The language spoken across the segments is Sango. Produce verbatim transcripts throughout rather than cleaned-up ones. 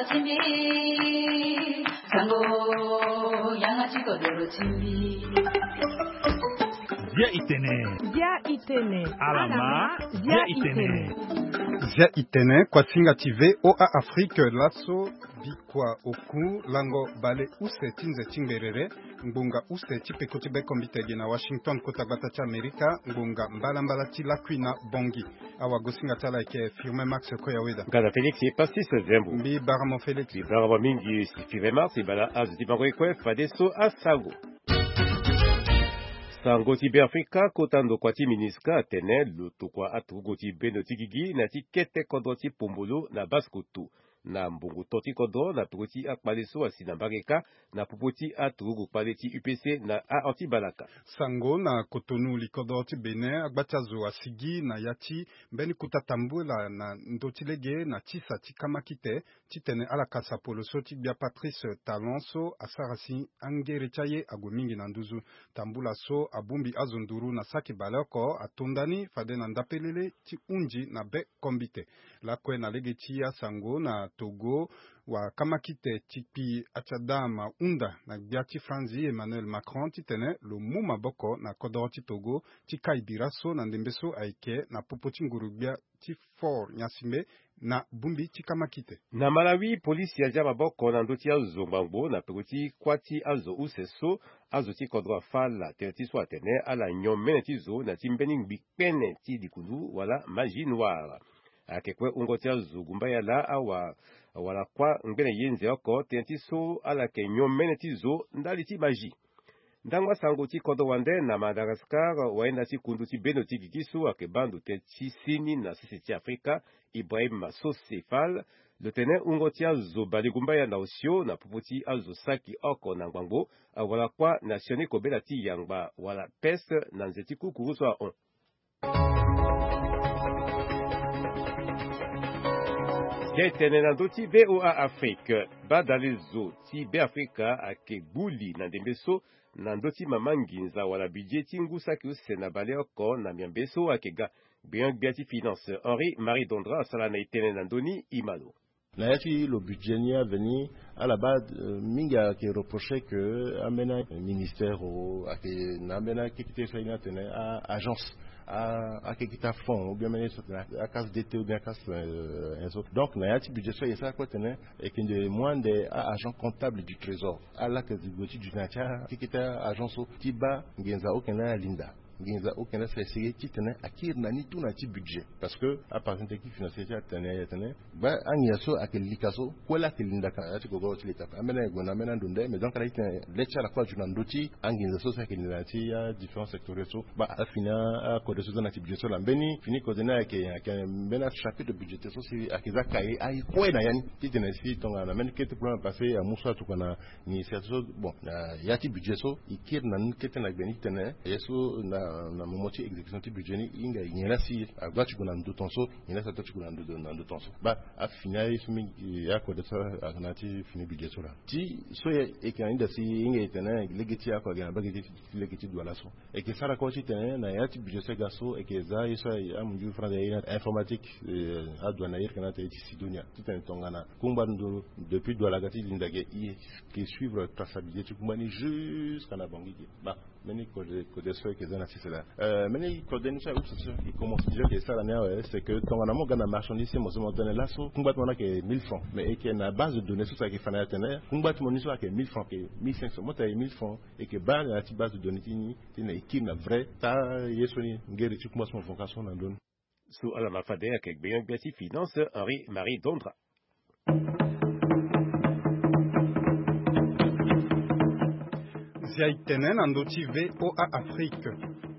Timbi, sango, yanga ti kodoro timbi. Bia itene. Bia itene. Alama, bia itene. Bia itene, kuasinga ti V O A Afrique, laso bikua oku lango bale use ti nze ti ngberere, ngbonga use ti peko ti be kombite ge na Washington, kota gbata ti Amerika, ngbonga mbalambala ti lakui na Bongi. Awagosinga ti ala ayeke Firmin Max Koyaweda. Gada Félix Pastis Zembo. Mbi baramo Félix. Mbi baramo mingi Firmin Max, e bala azo ti bango ye kue fadeso asango. Sango ti Beafrika, kota ndokua ti MINUSCA atene lo tokua aturugu ti bendo ti gigi na ya ti kete kodro ti Pombolo na Basse-Kotto. Na mbongo to ti kodro na peko ti akpale so asi na mbage kâ na popo ti aturugu kpale ti U P C na a-anti-balaka. Sango na Cotonou, likodro ti Bénin, agba ti azo asigi na ya ti mbeni kota tambula na ndö ti lege na tisa ti kamakite, titene ala ka sapolo so ti gbia Patrice Talon so asara si angere ti aye ague mingi na nduzu. Tambula so abongbi azo nduru na saki baleoko ato ndani fade na ndapelele ti hunzi na be kombite. Lakue na lege ti asango na Togo, wakamakite ti kpi Achadam ahunda na gbia ti Franzi Emmanuel Macron titene lo mu maboko na kodoro ti Togo ti kai bira so na ndembe so ayeke na popo ti nguru-gbia ti Faure Gnassingbé na bongbi ti kamakite. Na Malawi, polisi azia maboko na ndö ti azo ngbangbo na peko ti kuâ ti azo use so azo ti kodro afâ ala tënë ti so atene ala nyon mene ti zo na ya ti mbeni ngbi kpene ti likundu wala magie noire. Ayeke kue wungo ti azo gumbaya laa awa wala kuâ ngbene yenze oko tënë ti so ala yeke nyon mene ti zo ndali ti magie. Ndango asango ti kodro wande na Madagascar, wayenda ti kundu ti bendo ti gigi so ayeke baa ndo tënë ti sini na sese ti Afrika, Ibrahim Sosé Fall, lo tene wungo ti azo balegumbaya na osio na popo ti azo saki oko na ngbangbo, wala kuâ na sioni kobela ti yangba wala peste na nze ti kukuru so ahon. Ge tene na ndö ti V O A Afrique, badalezo ti Beafrika ayeke gbu li na ndembe so na ndö ti mama nginza wala budget ti ngu saki use na baleoko na miambe so ayeke ga. Gbenyo-gbia ti finance Henri Marie Dondra asara na e tënë na ndö ni, e ma lo. Na ya ti lo budget ni aveni, ala baa, euh, mingi ayeke reprocher que ambeni ministère o ayeke na ambeni akekete so aye ni atene a-agence, a-akekete afond ou bien ambeni so atene a-case D T ou bien a-case, euh, inso. Donc na ya ti budget so aye sara kue atene ayeke nde mu ande a-agent comptable du trésor ala yeke gue ti duti na ya ti akekete a-agence so ti baa nginza oke na alinda. Nginza oke na sese ye titene akiri na ni tout na ya ti budget. Parce que apartien technique financier ti atene aye atene baa anginza so ayeke lika so kue laa ayeke linda ka na ya ti gogoro ti leta. Ambeni aye gue na ambeni ando nde, mais donc ala titene le ti ala kue azo na ndö ti anginza so so ayeke linda na ya ti adifférent sectoriel so. Baa afini akode so za na ya ti budget so laa mbeni fini kode ni ayeke, ayeke mbeni achapitre budgétaire so si ayeke za kaye aye kue na ya ni titene si tongana na mbeni kete problème passé amu so atokua na ministère so. Bon, na ya ti budget so e kiri na ni kete na gbe ni titene ye so na, na moment ti exécution ti budget ni e hinga nyen laa si ague ti gue na ndo ton so, nyen laa si ato ti gue na ndo, na ndo ton so. Baa afini aye so mingi, akode so ayeke na ya ti fini budget so laa. Ti so e yeke na ni daa si e hinga e tene lege ti ako ayeke na mbage ti lege ti douane so. E yeke sara kue titene na ya ti budget so e ga so e yeke za ye so amunzu France aye na informatique, eh, adouane aye yeke na ate ye ti Sidonia titene tongana kungba ndo depuis douane aga ti linda ge e yeke suivre traçabilité ti kungba ni jusqu'à na Bangui ge. Baa mbeni kode, kode so e yeke za na sese laa. Euh, mbeni kode ni so aye use so e commence déjà e yeke sara ni awe, c'est que tongana mo ga na marchandise ti mo so mo tene laso kungba ti mo ni ayeke mille francs, mais e yeke na base de données so so ayeke fa na e atene kungba ti mo ni so ayeke mille francs, ayeke mille cinq cents, mo tene ayeke mille francs. E yeke baa na ya ti base de données ti ni titene e kiri na vrai taa ye so ni ngere ti kungba so mo fa ka so na ndö ni. So ala ma fade ayeke gbenyo-gbia ti finance Henri Marie Dondra. Zia e tene na ndö ti V O A Afrique.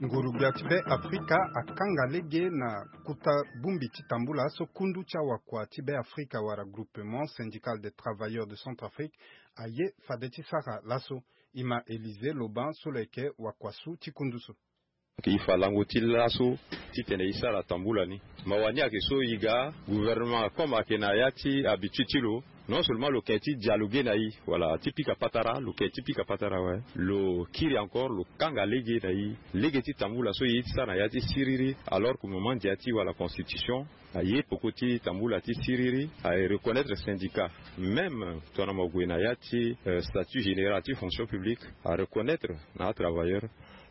Nguru-gbia ti Be Afrika akanga lege na kota bongbi ti tambula so kundu ti awakua ti Be Afrika wala Groupement Syndical des Travailleurs de Centrafrique aye fade ti sara laso. E ma Élisée Loban so lo yeke wakuasu ti kundu so. Donc e fa lango ti laso titene e sara tambula ni. Mawa ni ayeke so e ga gouvernement comme ayeke na ya ti habitude ti lo, non seulement lo yeke ti dialoguer na e, voilà, ti pika patara, lo yeke ti pika patara awe. Lo kiri encore, lo kanga lege na e, lege ti tambula so e ye ti sara na ya ti siriri, alors que mo mandia ti wala constitution. Aye peko ti tambula ti siriri aye reconnaître syndicat, même tongana mo gue na ya ti statut général ti fonction publique, areconnaître na atravailleur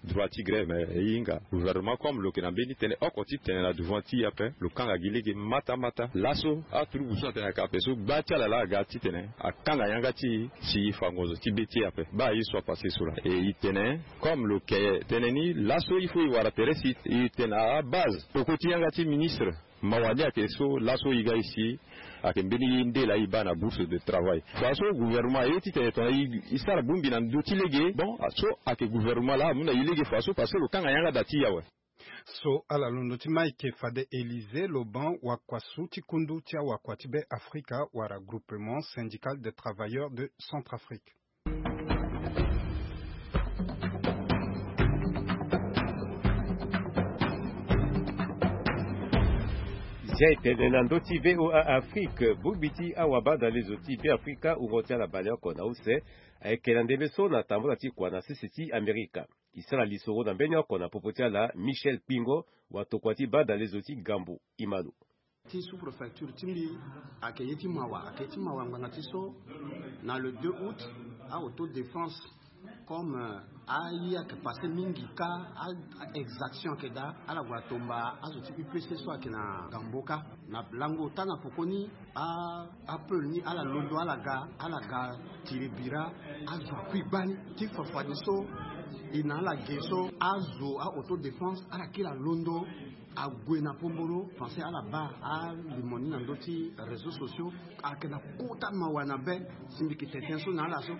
droit ti grève. Mais e hinga gouvernement comme lo yeke na mbeni tënë oko ti tene na devant ti e ape, lo kanga gi lege mata mata. Laso atrubu so atene ayeke ape so gba ti ala laa aga titene akanga yanga ti e si e fa ngonzo ti be ti e ape. Baa ye so apasse so laa e tene comme lo yeke tene ni laso il faut e wara tere si e tene abase peko ti yanga ti ministre. Mawa ni ayeke so laso e ga e si ayeke mbeni ye nde laa e baa na bourse de travail. Fa so gouvernement aye titene tongana e sara bongbi na ndö ti lege, bon so ayeke gouvernement laa amu na e lege fa so parce que lo kanga yanga da ti e awe. So ala londo ti Mike fade Élysée Loban, wakuasu ti kundu ti awakua ti Be Afrika wala Groupement Syndical des Travailleurs de Centrafrique. Zia etene na ndö ti V O A Afrique, bongbi ti awabadalezo ti Be Afrika wungo ti ala baleoko na use ayeke na ndembe so na tambula ti kua na sese ti Amerika. E sara lisoro na mbeni oko na popo ti ala Michel Kpingo, watokua ti badalezo ti Gambo. E ma lo. Ti sous-préfecture ti mbi ayeke ye ti mawa, ayeke ye ti mawa ngbanga ti so na le deux août, a autodéfense comme aye ayeke passe mingi kâ, a-exaction ayeke daa, ala gue atomba azo ti U P C so ayeke na Gambo kâ. Na lango ota na pokoni, a-peul ni ala londo ala ga, ala ga tiri bira, azo akui gbani. Ti fafadeso e na ala ge so azo a-autodéfense ala kiri alondo ague na pombolo. Français ala baa alimo ni na ndö ti réseaux sociaux. Ayeke na kota mawa na be si mbi yeke tene tënë so na ala so.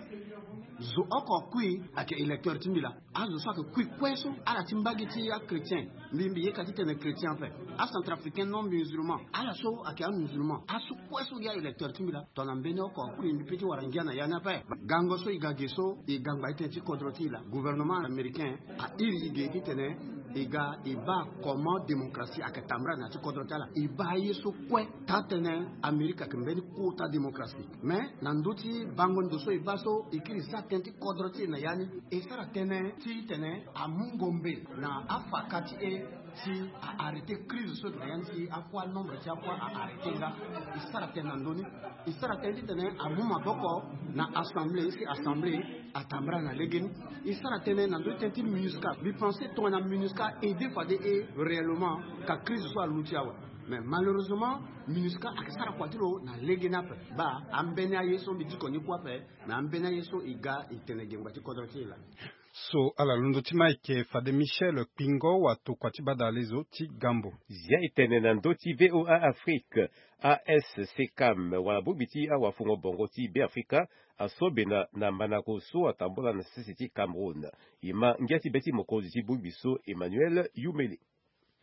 Zo oko akui ayeke électeur ti mbi laa. Azo so ayeke kui kue so ala ti mbage ti achrétien. Mbi mbi yeka ti tene chrétien ape. Acentrafricain non musulman, ala so ayeke amusulman, aso kue so gi aélecteur ti mbi laa. Tongana mbeni oko akui mbi pe ti wara ngia na ya ni ape. Gango so e ga ge so e ga ngba ti tënë ti kodro ti e laa. Gouvernement américain a iri e ge ti tene e ga e baa comment démocratie ayeke tambula na ya ti kodro ti ala. E baa ye so kue taa tënë Amérique ayeke mbeni kota démocratie. Mais na ndö ti bango ndo so e baa so e kiri e sara tënë ti kodro ti e na ya ni, e sara tënë ti tene amu ngombe na afaka ti e si a-arrêter crise so na ya ni si akua nombre ti akua a-arrêter nga. E sara tënë na ndö ni. E sara tënë ti tene amu maboko na assemblée si assemblée atambula na lege ni. E sara tënë na ndö ti tënë ti MINUSCA. Mbi pense tongana MINUSCA aide fade e réellement ka crise so aluti awe. Mais malheureusement MINUSCA ayeke sara kua ti lo na lege ni ape. Baa ambeni aye so mbi diko ni kue ape. Na ambeni aye so e ga e tene gengba ti kodro ti e laa. So ala londo ti Mike fade Michel Kpingo, watokua ti badalezo ti Gambo. Zia e tene na ndö ti V O A Afrique. A S C CAM wala bongbi ti awafungo bongo ti Be Afrika aso bena na mandango so atambula na sese ti Cameroun. E ma ngia ti be ti mokonzi ti bongbi so Emmanuel Youmele.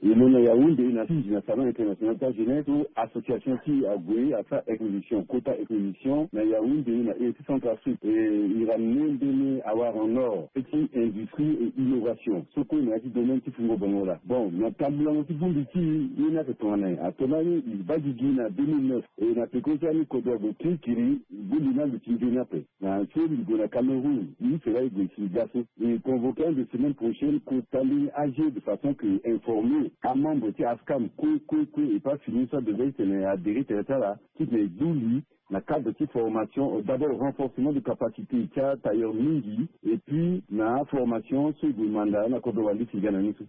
E lo na Yaoundé na Fidji na salon international ti ajeunesse so association ti e ague asara exposition, kota exposition na Yaoundé na ere ti Centrafrique. E e ramener mbeni awara en or ti industrie et innovation so kue na ya ti domaine ti fungo bongo laa. Bon, na tambulango ti bongbi ti e, ye ni ayeke tongana nyen? Ato lani e baa gigi na deux mille neuf, e na peko ti ani kodro ague kirikiri, bongbi ni aluti nzoni ape. Na so mbi gue na Cameroun, e use laa e gue si e ga so. E convoqué ande semaine prochaine kota mbeni A G de façon que e informer amembre ti ASCAM kue kue kue, e pas fini so adegré ti tene e adhérer tere ti ala titene e du li na cadre ti formation, d'abord renforcement de capacité ti atailleur mingi, et puis na aformation so e gue manda na kodro wande si e ga na ni so.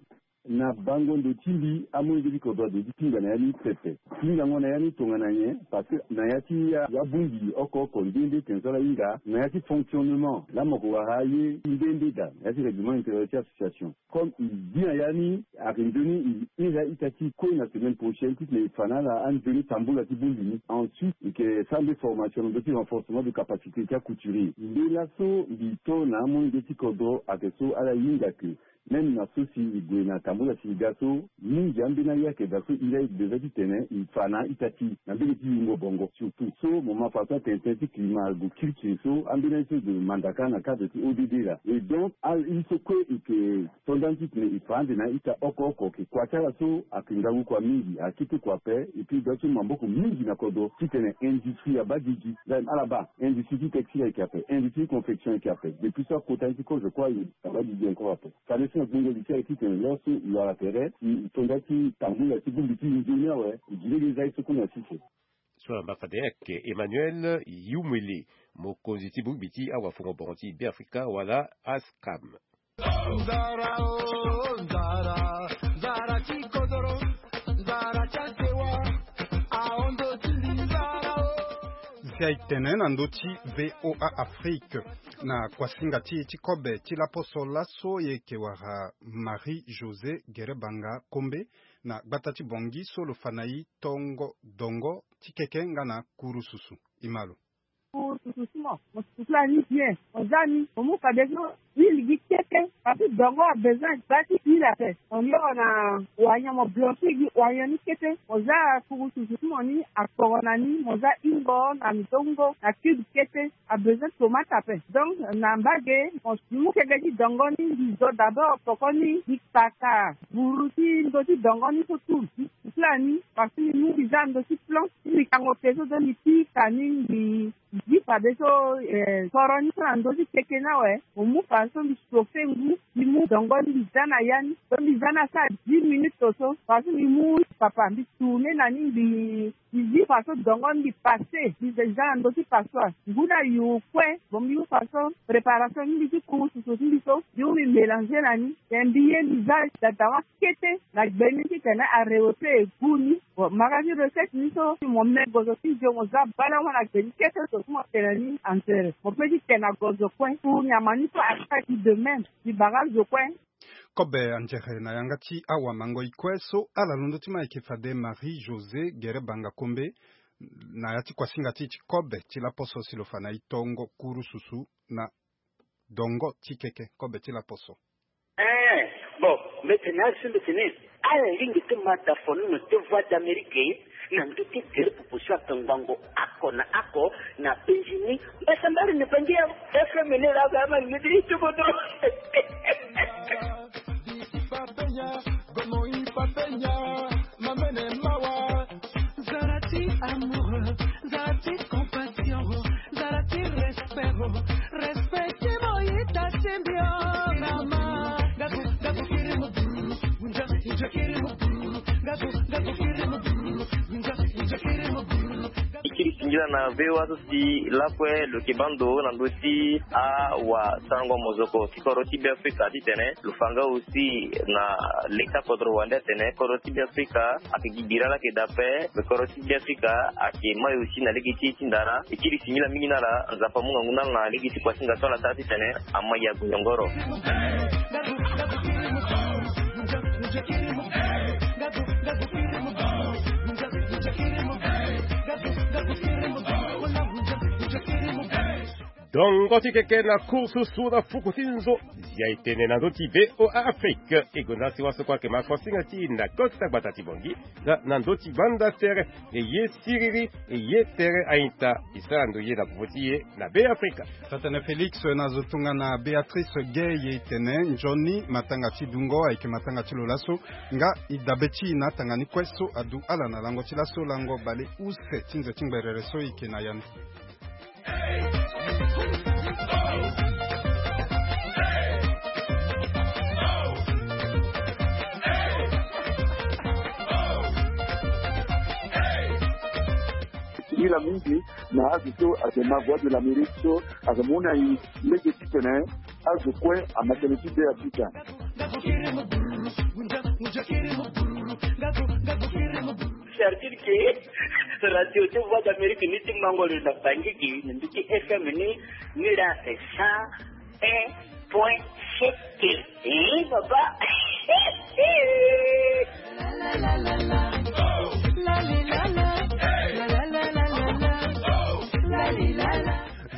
Na bango ndo ti mbi, amolenge ti kodro ade ti tinga na ya ni pepe. Tingango na ya ni tongana nyen? Parce que na ya ti abongbi oko oko nde nde tene so ala hinga na ya ti fonctionnement laa mo ko wara aye nde nde daa na ya ti règlement intérieur ti association. Comme e bi na ya ni, ayeke nzoni e iri a-ita ti e kue na semaine prochaine titene e fa na ala anzoni tambula ti bongbi ni. Ensuite e yeke sara nde formation na ndö ti renforcement de capacité ti acouturier. Nde laso mbi to na amolenge ti kodro ayeke so ala hinga ke même na so si e gue na tambula si e ga so, mingi ambeni aye ayeke daa so e laa e devait titene e fa na a-ita ti e na mbage ti yingo bongo. Surtout so mo ma fa so atene tënë ti climat ague kirikiri so, ambeni aye so e gue manda kâ na cadre ti O D D laa. Et donc aye so kue e yeke to nda ni titene e fa ande na a-ita oko oko. Ayeke kua ti ala so ayeke ngangu kua mingi, akete kua ape. Et puis e ga so maboko mingi na kodro titene industrie abaa gigi. Ala baa industrie ti textile ayeke ape, industrie ti confection ayeke ape. Depuis so akota ni ti kozo kue aye abaa gigi encore ape. Fade So na gbongo li ti aye titene laso e wara tere e tonda ti tambula ti bongbi ti nzoni awe e gi lege za ye so kue na sese. So na mbaka de ayeke Emmanuel Yumwele, mokonzi ti bongbi ti awafongo bongo ti Beafrika wala ASCAM. Nzara o nzara, nzara ti kodoro, nzara ti asewa, ahondo ti nzara o. Zia e tene na ndö ti VOA Afrique. Na kuasinga ti e ti kobe ti laposo laso e yeke wara Marie José Gerebanga Kombe na gbata ti Bangui so lo fa na e tongo dongo ti keke nga na kurususu. E ma lo. Ku susu ti mo, mo susu ti la ni bien. Mo za ni, mo mu fadeso huile gi kete. Parce que dongo a besoin gba ti huile ape. Mo yoro na wanyan, mo blanchir gi wanyan ni kete. Mo za kuru susu ti mo ni akporo na ni, mo za hingo na ndongo na cube kete. A besoin tomate ape. Donc na mbage mo mu keke ti dongo ni, mbi zo d'abord poko ni, mbi kpaka buru ti ndö ti dongo ni so tout. Mbi susu ti la ni, parce que mbi mu mbi za ndö ti plan. Ti mbi kango pe so, donc mbi pika ni, mbi zi fadeso, eh, soro ni so na ndö ti keke ni awe. Mo mu fadeso mbi chauffer ngu, mbi mu dongo ni mbi za na ya ni. So mbi za ni asara dix minutes so. Fadeso mbi mu papa mbi tourner na ni, mbi, mbi zi fadeso dongo ni mbi passer. Mbi za na ndö ti passoire. Ngu ni ayu kue. Bon, mbi mu fadeso préparation ni, mbi ti kuru susu ti mbi so. Mbi mu mbi mélanger na ni. Then mbi ye mbi za dadawa kete na gbe ni titene arewe pe e gu ni. Bon, mara ti recette ni so, mo me gozo ti nzio, mo za balango na gbe ni kete so, ti mo tene ni anzere. Mo pe ti tene na gozo kue. Pour nyama ni so asara ti de même. Ti bara zo kue. Kobe anzere na yanga ti awamango-i kue so ala londo ti ma ayeke fade Marie José Gerebanga Kombe, na ya ti kuasinga ti e ti kobe ti laposo si lo fa na e tongo kurususu na dongo ti keke, kobe ti laposo. Eh, bon, mbetene, asi mbetene. Ala lingbi ti ma da fonono ti Voix d'Amérique na ndö ti tere popo so ayeke ngbongo oko na oko na penzi ni. Mbasambari ni bangi ya F M ni la ga ma ni ti kodro. Zara ti amour, zara ti compassion, zara ti respect, respect ti mo ita ti mbi o, mama. Gabu, gabu kiri mo buru, gunja, gunja kiri mo buru, gabu, gabu kiri mo buru, gunja, gunja kiri mo buru. E kiri singila na V O A so si lakue lo yeke baa ndo na ndö ti awasarango mozoko ti kodro ti Beafrika titene lo fa nga aussi na leta kodro wande atene kodro ti Beafrika ayeke gi bira la ayeke daa ape, me kodro ti Beafrika ayeke mai aussi na lege ti e ti ndara. E kiri singila mingi na ala, Nzapa amu ngangu na ala na lege ti kuasinga so ala sara titene ama ya gue yongoro. Dongo ti keke na kursusu na fuku ti nzo. Zia e tene na ndö ti V O A Afrique. E gonda si waso kue ayeke ma kuasinga ti e na kota gbata ti Bangui nga na ndö ti banda tere. E ye siriri, e ye tere a-ita. E sara ndo ye na popo ti e na Beafrika. Taa-tënë Félix, na zo tongana Béatrice Gay e tene nzoni matanga ti dungo ayeke matanga ti lo laso. Nga e dabe ti e na atanga ni kue so adu ala na lango ti laso, lango bale use ti nze ti ngberere so e yeke na ya ni. Singila mingi na azo so ayeke ma Voix de l'Amérique so ayeke mu na e lege titene azo kue ama tënë ti Beafrika. C'est-à-dire que radio ti Voix d'Amérique ni ti mango lo na Bangui gi na ndö ti F M ni, ni la c'est cent un point sept. Eh, papa.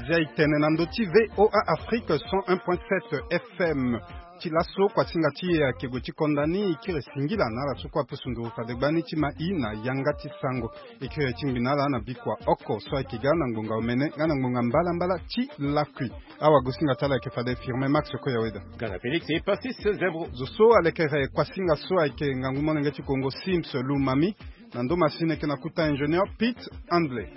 Zia e tene na ndö ti V O A Afrique cent un point sept F M. Ti laso kuasinga ti e ayeke gue ti konda ni. E kiri singila na ala so kue apusu nduru fade gbani ti ma e na yanga ti sango. E kiri ti ngbi na ala na bikua oko so ayeke ga na ngbonga omene nga na ngbonga mbalambala ti lakui. Awagosinga ti ala ayeke fade Firmin Max Koyaweda. Gana Félix e Pacis Zebro. Zo so alekere kuasinga so ayeke ngangu molenge ti Kongo Sims Lumami. Na ndo masini ayeke na kuta ingénieur Pete Handley.